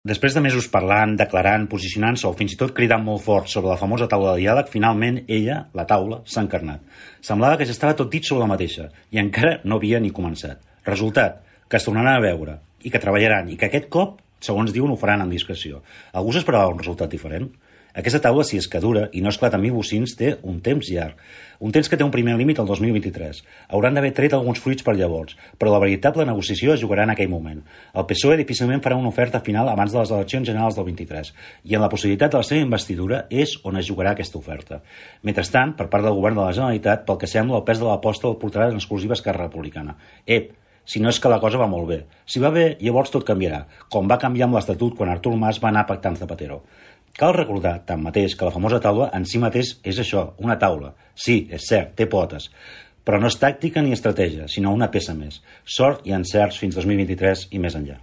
Després de mesos parlant, declarant, posicionant-se o fins i tot cridant molt fort sobre la famosa taula de diàleg, finalment ella, la taula, s'ha encarnat. Semblava que ja estava tot dit sobre la mateixa i encara no havia ni començat. Resultat, que es tornaran a veure i que treballaran i que aquest cop, segons diuen, ho faran amb discreció. Algú s'esperava un resultat diferent? Aquesta taula, si és que dura i no esclata amb bocins, té un temps llarg. Un temps que té un primer límit el 2023. Hauran d'haver tret alguns fruits per llavors, però la veritable negociació es jugarà en aquell moment. El PSOE difícilment farà una oferta final abans de les eleccions generals del 23, i en la possibilitat de la seva investidura és on es jugarà aquesta oferta. Mentrestant, per part del govern de la Generalitat, pel que sembla, el pes de l'aposta el portarà en exclusiva Esquerra Republicana. Si no és que la cosa va molt bé. Si va bé, llavors tot canviarà, com va canviar amb l'Estatut quan Artur Mas va anar pactant amb Zapatero. Cal recordar, tanmateix, que la famosa taula en si mateix és això, una taula. Sí, és cert, té potes, però no és tàctica ni estratègia, sinó una peça més. Sort i encerts fins 2023 i més enllà.